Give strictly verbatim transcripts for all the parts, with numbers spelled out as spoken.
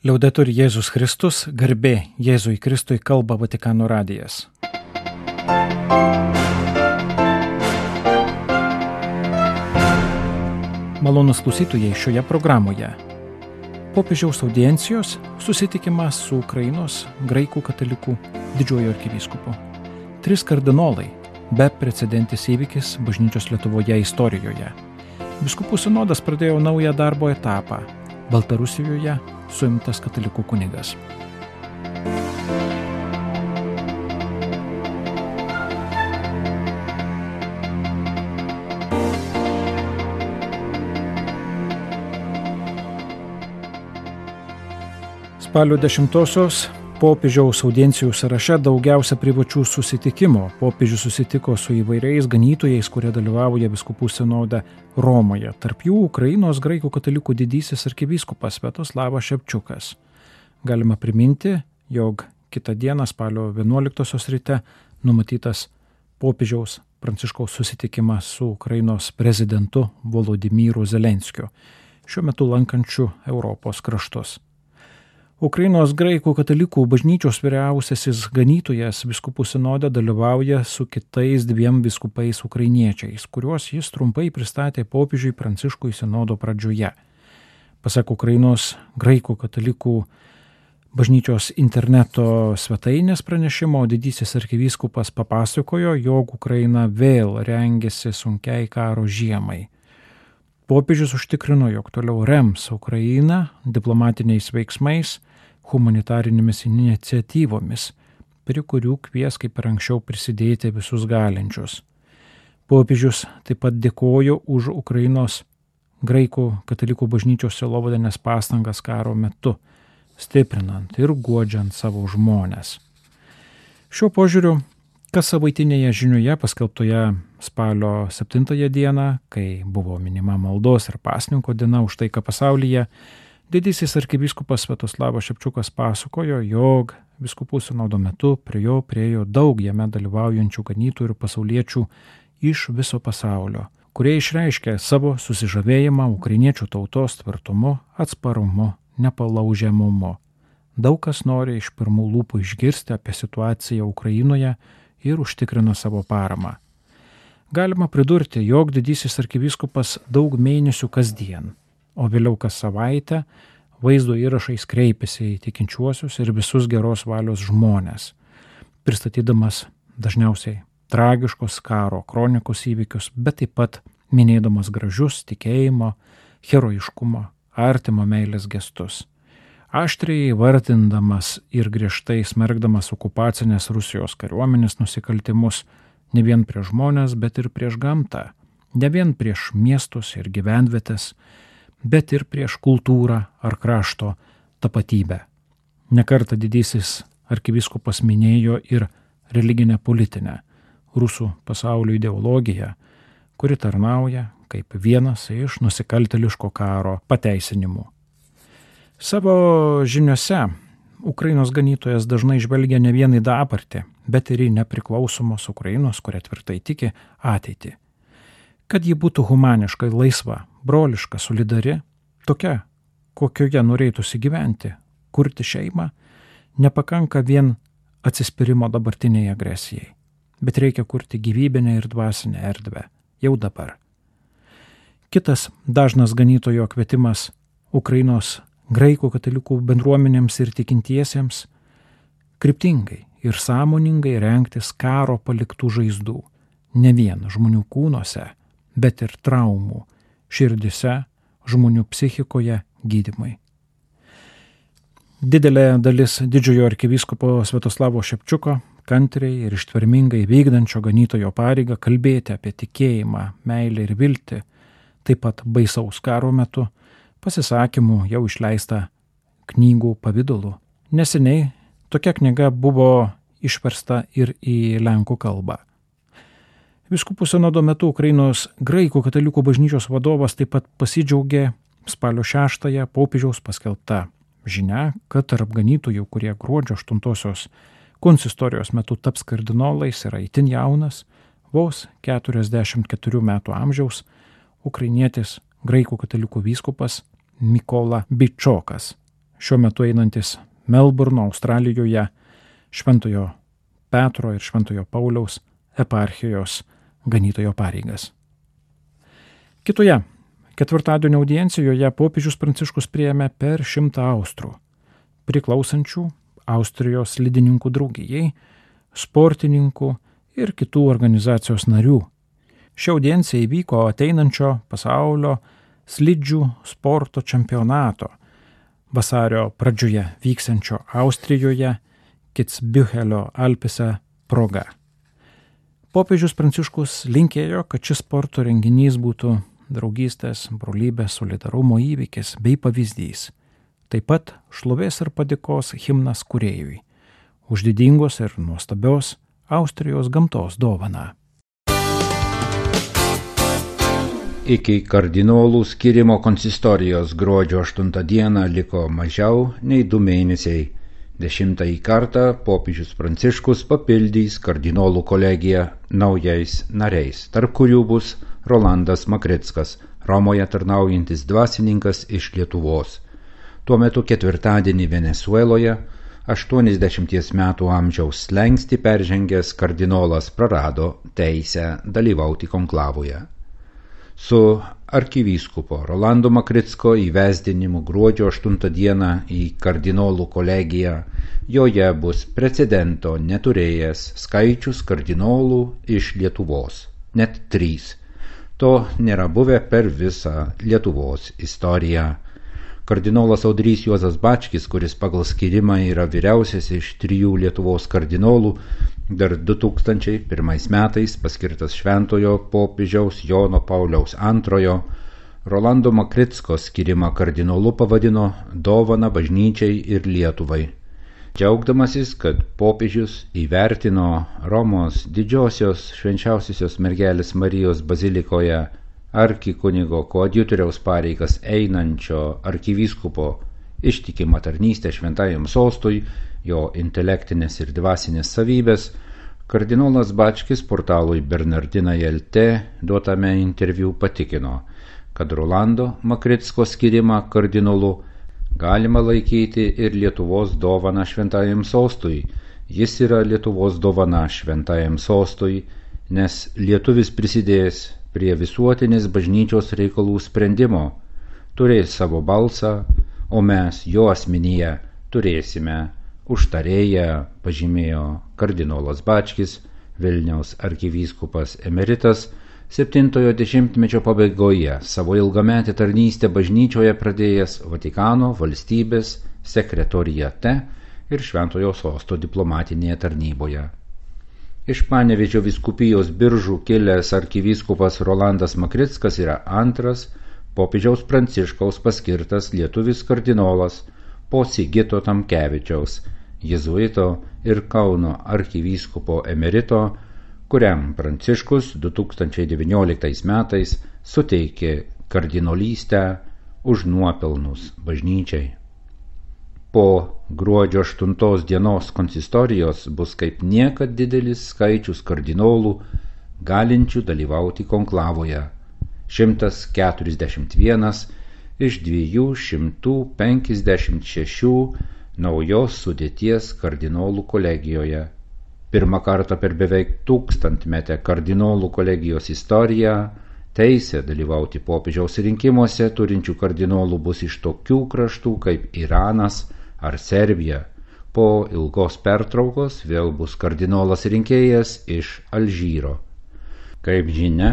Liaudetur Jėzus Kristus, garbė Jėzui Kristui, kalba Vatikano radijas. Malonūs klausytojai, šioje programoje popiežiaus audiencijos susitikimas su Ukrainos graikų katalikų didžiuoju arkivyskupu. Tris kardinolai, beprecedentis įvykis bažnyčios Lietuvoje istorijoje. Vyskupų sinodas pradėjo naują darbo etapą. Baltarusijoje suimtas katalikų kunigas. Spalio dešimtosios popiežiaus audiencijų sąraše daugiausia privačių susitikimų. Popiežius susitiko su įvairiais ganytojais, kurie dalyvauja vyskupų sinode Romoje. Tarp jų Ukrainos graikų katalikų didysis arkivyskupas Sviatoslavas Ševčiukas. Galima priminti, jog kitą dieną spalio vienuoliktosios ryte numatytas popiežiaus Pranciškaus susitikimas su Ukrainos prezidentu Volodymyru Zelenskiu, šiuo metu lankančiu Europos kraštus. Ukrainos graikų katalikų bažnyčios vyriausiasis ganytojas vyskupų sinode dalyvauja su kitais dviem vyskupais ukrainiečiais, kuriuos jis trumpai pristatė popiežiui Pranciškui sinodo pradžioje. Pasak Ukrainos graikų katalikų bažnyčios interneto svetainės pranešimo, didysis arkivyskupas papasakojo, jog Ukraina vėl rengiasi sunkiai karo žiemai. Popiežius užtikrino, jog toliau rems Ukrainą diplomatiniais veiksmais, humanitarinėmis iniciatyvomis, prie kurių kvies kaip ir anksčiau prisidėti visus galinčius. Popiežius taip pat dėkojo už Ukrainos graikų katalikų bažnyčios sielovadinės pastangas karo metu, stiprinant ir guodžiant savo žmones. Šiuo požiūriu, kas savaitinėje žinioje paskelbtoje spalio septintąją dieną, kai buvo minima maldos ir pasninko diena už taiką pasaulyje, didysis arkivyskupas Sviatoslavas Ševčiukas pasakojo, jog vyskupų sinodo metu prie jo priėjo daug jame dalyvaujančių ganytojų ir pasauliečių iš viso pasaulio, kurie išreiškė savo susižavėjimą ukrainiečių tautos tvirtumu, atsparumu, nepalaužiamumu. Daug kas nori iš pirmų lūpų išgirsti apie situaciją Ukrainoje ir užtikrino savo paramą. Galima pridurti, jog didysis arkivyskupas daug mėnesių kasdien, o vėliau kas savaitę vaizdo įrašais kreipėsi į tikinčiuosius ir visus geros valios žmones, pristatydamas dažniausiai tragiškos karo kronikos įvykius, bet taip pat minėdamas gražius tikėjimo, herojiškumo, artimo meilės gestus. Aštriai vardindamas ir griežtai smerkdamas okupacinės Rusijos kariuomenės nusikaltimus ne vien prieš žmones, bet ir prieš gamtą, ne vien prieš miestus ir gyvenvietes, bet ir prieš kultūrą ar krašto tapatybę. Nekartą didysis arkivyskupas minėjo ir religinę politinę rusų pasaulio ideologiją, kuri tarnauja kaip vienas iš nusikaltėliško karo pateisinimų. Savo žiniose Ukrainos ganytojas dažnai žvelgia ne vien į dabartį, bet ir į nepriklausomos Ukrainos, kuria tvirtai tiki, ateitį. Kad ji būtų humaniškai laisva, broliška, solidari, tokia, kokioje norėtųsi gyventi, kurti šeimą, nepakanka vien atsispyrimo dabartiniai agresijai, bet reikia kurti gyvybinę ir dvasinę erdvę, jau dabar. Kitas dažnas ganytojo kvietimas Ukrainos graikų katalikų bendruomenėms ir tikintiesiems kryptingai ir sąmoningai rengtis karo paliktų žaizdų, ne vien žmonių kūnuose, bet ir traumų, širdise, žmonių psichikoje gydymai. Didelė dalis didžiojo arkivyskupo Sviatoslavo Ševčiuko kantriai ir ištvermingai vykdančio ganytojo pareigą kalbėti apie tikėjimą, meilę ir viltį, taip pat baisaus karo metu, pasisakymų jau išleista knygų pavidalu. Neseniai tokia knyga buvo išversta ir į lenkų kalbą. Vyskupų sinodo metu Ukrainos graikų katalikų bažnyčios vadovas taip pat pasidžiaugė spalio šeštąją popiežiaus paskelbta žinia, kad tarp ganytojų, kurie gruodžio aštuntosios konsistorijos metu taps kardinolais, yra itin jaunas, vos keturiasdešimt keturių metų amžiaus ukrainietis graikų katalikų vyskupas Mykola Bičokas. šiuo metu einantis Melburno, Australijoje, Šventojo Petro ir Šventojo Pauliaus eparchijos ganytojo pareigas. Kitoje ketvirtadienio audiencijoje popiežius Pranciškus priėmė per šimtą austrų, priklausančių Austrijos slidininkų draugijai, sportininkų ir kitų organizacijos narių. Ši audiencija įvyko ateinančio pasaulio slidžių sporto čempionato vasario pradžioje vyksiančio Austrijoje Kitzbühelio Alpėse proga. Popiežius Pranciškus linkėjo, kad šis sporto renginys būtų draugystės, brolybės, solidarumo įvykis bei pavyzdys. Taip pat šlovės ir padėkos himnas kūrėjui už didingos ir nuostabios Austrijos gamtos dovaną. Iki kardinolų skirimo konsistorijos gruodžio aštuntą dieną liko mažiau nei du mėnesiai. Dešimtąjį kartą popiežius Pranciškus papildys kardinolų kolegiją naujais nariais, tarp kurių bus Rolandas Makrickas, Romoje tarnaujantis dvasininkas iš Lietuvos. Tuo metu ketvirtadienį Venesueloje aštuoniasdešimties metų amžiaus slenkstį peržengęs kardinolas prarado teisę dalyvauti konklavoje. Su arkivyskupo Rolando Makricko įvesdinimu gruodžio aštuntą dieną į kardinolų kolegiją joje bus precedento neturėjęs skaičius kardinolų iš Lietuvos, net trys. To nėra buvę per visą Lietuvos istoriją. Kardinolas Audrys Juozas Bačkis, kuris pagal skirimą yra vyriausias iš trijų Lietuvos kardinolų, dar du tūkstančiai pirmais metais paskirtas šventojo popiežiaus Jono Pauliaus antrojo, Rolando Makricko skirimą kardinolu pavadino dovana bažnyčiai ir Lietuvai. Džiaugdamasis, kad popiežius įvertino Romos didžiosios švenčiausiosios mergelės Marijos bazilikoje arkikunigo koadjutoriaus pareigas einančio arkivyskupo ištikimą tarnystę šventajam sostui, jo intelektinės ir dvasinės savybės, kardinolas Bačkis portalui Bernardinai L T duotame interviu patikino, kad Rolando Makricko skirimą kardinolu galima laikyti ir Lietuvos dovana šventajam sostui. Jis yra Lietuvos dovana šventajam sostui, nes lietuvis prisidės prie visuotinės bažnyčios reikalų sprendimo, turės savo balsą, o mes jo asmenyje turėsime užtarėją, pažymėjo kardinolas Bačkis, Vilniaus arkivyskupas emeritas, septintojo dešimtmečio pabaigoje savo ilgametę tarnystę bažnyčioje pradėjęs Vatikano valstybės sekretoriate ir Šventojo sosto diplomatinėje tarnyboje. Iš Panevėžio vyskupijos Biržų kilęs arkivyskupas Rolandas Makrickas yra antras popiežiaus Pranciškaus paskirtas lietuvis kardinolas po Sigito Tamkevičiaus, jėzuito ir Kauno arkivyskupo emerito, kuriam Pranciškus du tūkstančiai devynioliktais metais suteikė kardinolystę už nuopelnus bažnyčiai. Po gruodžio aštuntos dienos konsistorijos bus kaip niekad didelis skaičius kardinolų galinčių dalyvauti konklavoje – šimtas keturiasdešimt vienas iš dviejų šimtų penkiasdešimt šešių naujos sudėties kardinolų kolegijoje. Pirmą kartą per beveik tūkstantmetę kardinolų kolegijos istoriją teisę dalyvauti popiežiaus rinkimuose turinčių kardinolų bus iš tokių kraštų kaip Iranas ar Serbija. Po ilgos pertraukos vėl bus kardinolas rinkėjas iš Alžyro. Kaip žinia,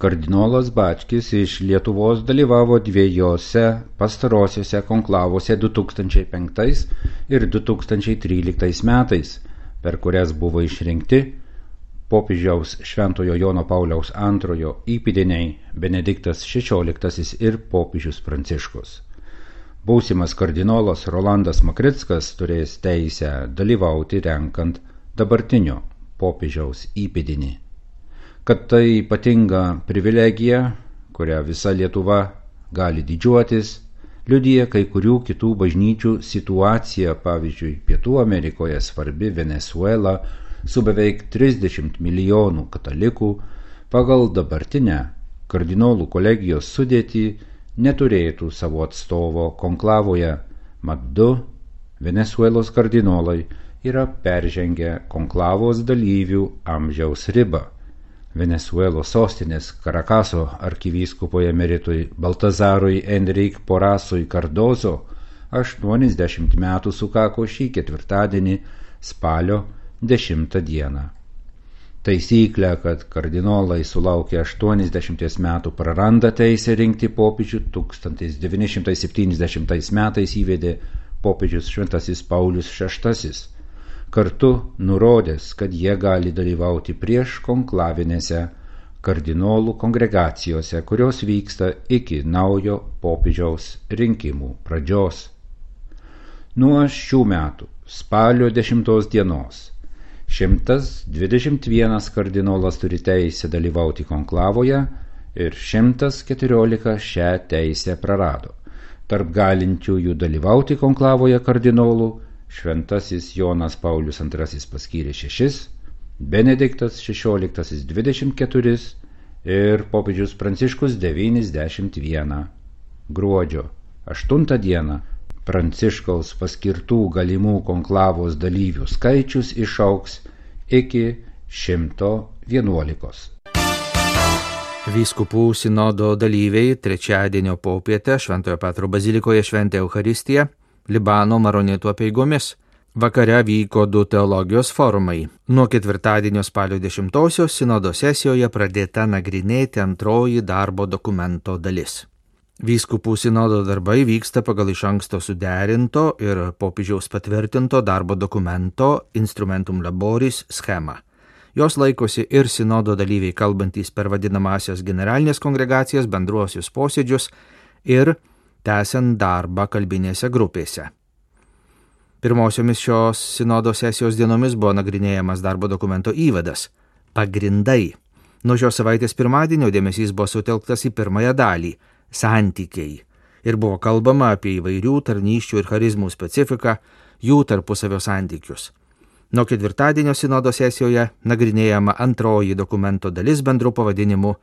kardinolas Bačkis iš Lietuvos dalyvavo dviejose pastarosiuose konklavose du tūkstančiai penktais ir du tūkstančiai tryliktais metais, per kurias buvo išrinkti popiežiaus Šventojo Jono Pauliaus antrojo įpėdiniai Benediktas šešioliktasis ir popiežius Pranciškus. Būsimas kardinolas Rolandas Makrickas turės teisę dalyvauti renkant dabartinio popiežiaus įpėdinį. Kad tai ypatinga privilegija, kurią visa Lietuva gali didžiuotis, liudija kai kurių kitų bažnyčių situacija, pavyzdžiui, Pietų Amerikoje svarbi Venesuela su beveik trisdešimt milijonų katalikų, pagal dabartinę kardinolų kolegijos sudėtį neturėtų savo atstovo konklavoje, Mat du Venesuelos kardinolai yra peržengę konklavos dalyvių amžiaus ribą. Venesuelos sostinės Karakaso arkivyskupoje emeritui Baltazarui Enrique Porrasui Cardozo aštuoniasdešimt metų sukako šį ketvirtadienį spalio dešimtą dieną. Taisyklę, kad kardinolai sulaukę aštuoniasdešimties metų praranda teisę rinkti popiežių, tūkstantis devyni šimtai septyniasdešimtais metais įvedė popiežius Šventasis Paulius šeštasis, kartu nurodęs, kad jie gali dalyvauti prieš konklavinėse kardinolų kongregacijose, kurios vyksta iki naujo popiežiaus rinkimų pradžios. Nuo šių metų spalio dešimtos dienos šimtas dvidešimt vienas kardinolas turi teisę dalyvauti konklavoje ir šimtas keturiolika šią teisę prarado. Tarp galinčiųjų dalyvauti konklavoje kardinolų Šventasis Jonas Paulius antrasis paskyrė šešis, Benediktas šešioliktasis dvidešimt keturis ir popiežius Pranciškus devyniasdešimt vieną. Gruodžio aštuntą dieną Pranciškaus paskirtų galimų konklavos dalyvių skaičius išaugs iki šimto vienuolikos. Vyskupų sinodo dalyviai trečiadienio popietę Šventojo Petro bazilikoje šventė Eucharistiją Libano maronitų apeigomis. Vakare vyko du teologijos forumai. Nuo ketvirtadienio spalio dešimtosios sinodo sesijoje pradėta nagrinėti antroji darbo dokumento dalis. Vyskupų sinodo darbai vyksta pagal iš anksto suderinto ir popiežiaus patvirtinto darbo dokumento Instrumentum Laboris schemą. Jos laikosi ir sinodo dalyviai kalbantys per vadinamasias generalinės kongregacijas, bendruosius posėdžius ir tęsiant darbą kalbinėse grupėse. Pirmosiomis šios sinodo sesijos dienomis buvo nagrinėjamas darbo dokumento įvadas – pagrindai. Nuo šios savaitės pirmadienio dėmesys buvo sutelktas į pirmąją dalį – santykiai. Ir buvo kalbama apie įvairių tarnysčių ir charizmų specifiką, jų tarpusavio santykius. Nuo ketvirtadienio sinodo sesijoje nagrinėjama antroji dokumento dalis bendru pavadinimu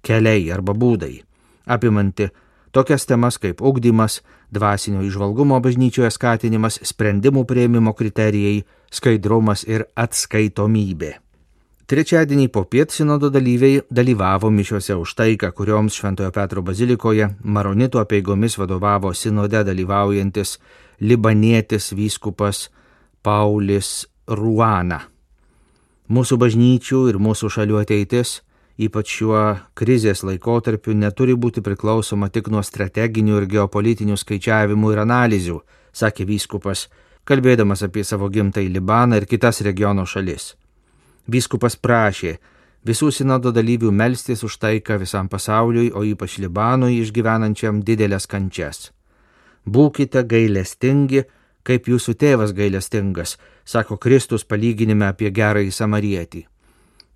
keliai arba būdai, apimanti tokias temas kaip ugdymas, dvasinio įžvalgumo bažnyčioje skatinimas, sprendimų priėmimo kriterijai, skaidrumas ir atskaitomybė. Trečiadienį popiet sinodo dalyviai dalyvavo mišiose už taiką, kurioms Šventojo Petro bazilikoje maronitų apeigomis vadovavo sinode dalyvaujantis libanietis vyskupas Paulis Ruana. Mūsų bažnyčių ir mūsų šalių ateitis, ypač šiuo krizės laikotarpiu, neturi būti priklausoma tik nuo strateginių ir geopolitinių skaičiavimų ir analizių, sakė vyskupas, kalbėdamas apie savo gimtąjį Libaną ir kitas regiono šalis. Vyskupas prašė visų sinodo dalyvių melstis už taiką visam pasauliui, o ypač Libanui išgyvenančiam didelės kančias. Būkite gailestingi, kaip jūsų tėvas gailestingas, sako Kristus palyginime apie gerąjį samarietį.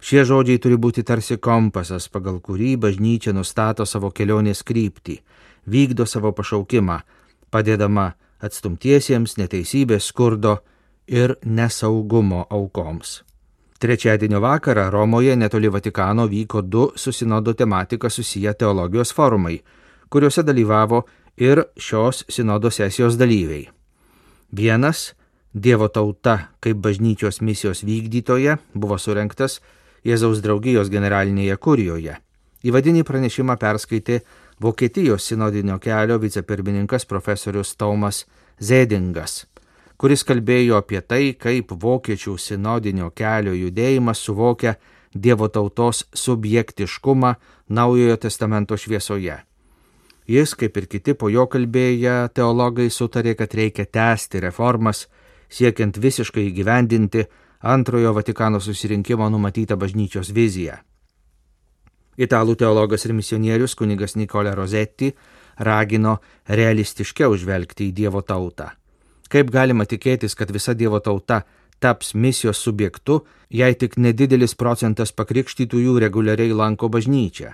Šie žodžiai turi būti tarsi kompasas, pagal kurį bažnyčia nustato savo kelionės kryptį, vykdo savo pašaukimą, padėdama atstumtiesiems, neteisybės, skurdo ir nesaugumo aukoms. Trečiadienio vakarą Romoje netoli Vatikano vyko du su sinodo tematika susiję teologijos forumai, kuriuose dalyvavo ir šios sinodo sesijos dalyviai. Vienas, Dievo tauta kaip bažnyčios misijos vykdytoja, buvo surengtas Jėzaus draugijos generalinėje kurijoje. Įvadinį pranešimą perskaitė Vokietijos sinodinio kelio vicepirmininkas profesorius Tomas Zedingas, kuris kalbėjo apie tai, kaip vokiečių sinodinio kelio judėjimas suvokia Dievo tautos subjektiškumą Naujojo testamento šviesoje. Jis, kaip ir kiti po jo kalbėję teologai, sutarė, kad reikia tęsti reformas, siekiant visiškai įgyvendinti antrojo Vatikano susirinkimo numatytą bažnyčios viziją. Italų teologas ir misionierius kunigas Nicola Rosetti ragino realistiškiau žvelgti į Dievo tautą. Kaip galima tikėtis, kad visa Dievo tauta taps misijos subjektu, jei tik nedidelis procentas pakrikštytųjų reguliariai lanko bažnyčią?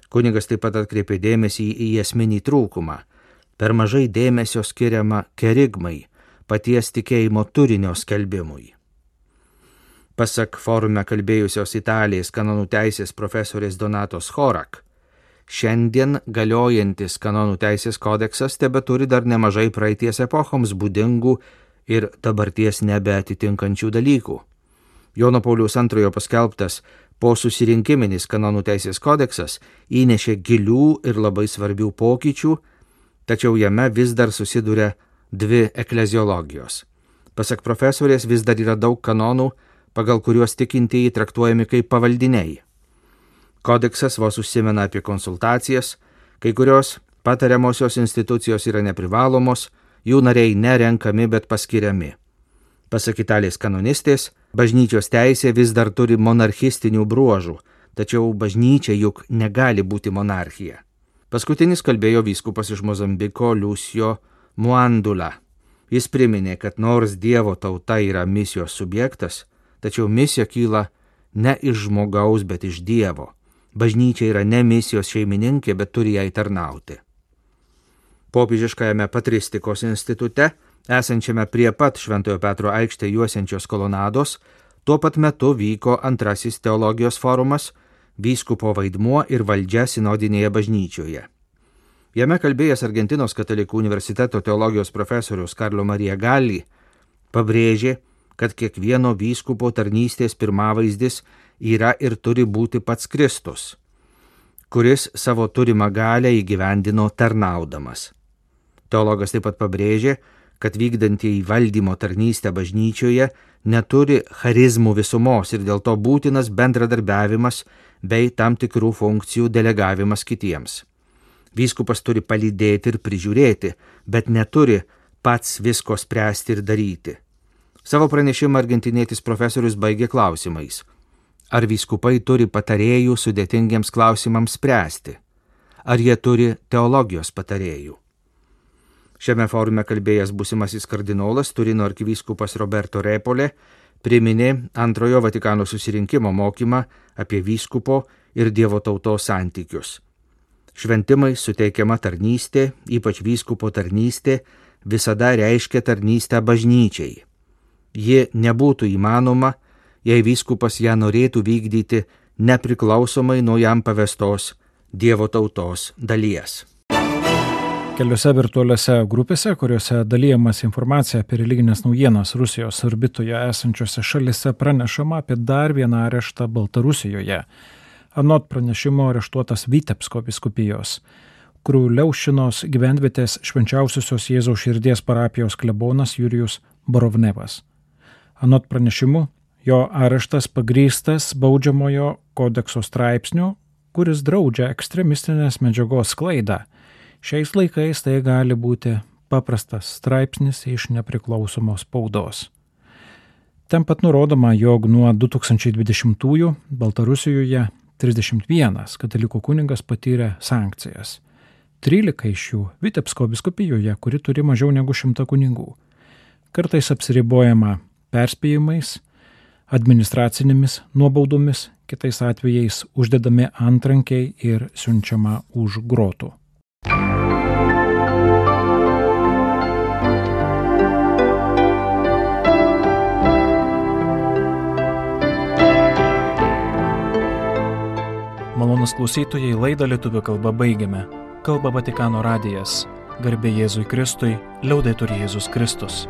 Kunigas taip pat atkreipė dėmesį į esminį trūkumą. Per mažai dėmesio skiriama kerigmai, paties tikėjimo turinio skelbimui. Pasak forume kalbėjusios Italijos kanonų teisės profesorės Donatos Horak, šiandien galiojantis kanonų teisės kodeksas tebeturi dar nemažai praeities epochoms būdingų ir dabarties nebeatitinkančių dalykų. Jono Pauliaus antrojo paskelbtas po susirinkiminis kanonų teisės kodeksas įnešė gilių ir labai svarbių pokyčių, tačiau jame vis dar susiduria dvi ekleziologijos. Pasak profesorės, vis dar yra daug kanonų, pagal kuriuos tikintieji traktuojami kaip pavaldiniai. Kodeksas vos užsimena apie konsultacijas, kai kurios patariamosios institucijos yra neprivalomos, jų nariai nerenkami, bet paskiriami. Pasak Italijos kanonistės, bažnyčios teisė vis dar turi monarchistinių bruožų, tačiau bažnyčia juk negali būti monarchija. Paskutinis kalbėjo vyskupas iš Mozambiko Lucio Muandula. Jis priminė, kad nors Dievo tauta yra misijos subjektas, tačiau misija kyla ne iš žmogaus, bet iš Dievo. Bažnyčia yra ne misijos šeimininkė, bet turi jai tarnauti. Popiežiškajame patristikos institute, esančiame prie pat Šventojo Petro aikštę juosiančios kolonados, tuo pat metu vyko antrasis teologijos forumas Vyskupo vaidmuo ir valdžia sinodinėje bažnyčioje. Jame kalbėjęs Argentinos katalikų universiteto teologijos profesorius Karlo Marija Galli pabrėžė, kad kiekvieno vyskupo tarnystės pirmavaizdis yra ir turi būti pats Kristus, kuris savo turimą galią įgyvendino tarnaudamas. Teologas taip pat pabrėžė, kad vykdantieji valdymo tarnystę bažnyčioje neturi charizmų visumos ir dėl to būtinas bendradarbiavimas bei tam tikrų funkcijų delegavimas kitiems. Vyskupas turi palydėti ir prižiūrėti, bet neturi pats visko spręsti ir daryti. Savo pranešimą argentinietis profesorius baigė klausimais. Ar vyskupai turi patarėjų sudėtingiems klausimams spręsti? Ar jie turi teologijos patarėjų? Šiame forume kalbėjęs būsimasis kardinolas Turino arkivyskupas Roberto Repole priminė antrojo Vatikano susirinkimo mokymą apie vyskupo ir Dievo tautos santykius. Šventimai suteikiama tarnystė, ypač vyskupo tarnystė, visada reiškia tarnystę bažnyčiai. Ji nebūtų įmanoma, jei vyskupas ją norėtų vykdyti nepriklausomai nuo jam pavestos Dievo tautos dalies. Keliose virtualiose grupėse, kuriuose dalyjamas informacija apie religinės naujienas Rusijos orbitoje esančiose šalise, pranešama apie dar vieną areštą Baltarusijoje. Anot pranešimo areštuotas Vitebsko vyskupijos, Kriuliaušinos gyvenvietės Švenčiausiosios Jėzaus širdies parapijos klebonas Jurijus Borovnevas. Anot pranešimų, jo areštas pagrįstas baudžiamojo kodekso straipsniu, kuris draudžia ekstremistinės medžiagos sklaidą. Šiais laikais tai gali būti paprastas straipsnis iš nepriklausomos spaudos. Ten pat nurodoma, jog nuo du tūkstančiai dvidešimtųjų Baltarusijoje trisdešimt vienas katalikų kunigas patyrė sankcijas. trylika iš jų Vitebsko vyskupijoje, kuri turi mažiau negu šimtą kunigų. Kartais apsiribojama perspėjimais, administracinėmis nuobaudomis, kitais atvejais uždedami antrankiai ir siunčiama už grotų. Malonus klausytojai, laidą lietuvių kalba baigiame. Kalba Vatikano radijas. Garbė Jėzui Kristui, liaudetur Jėzus Kristus.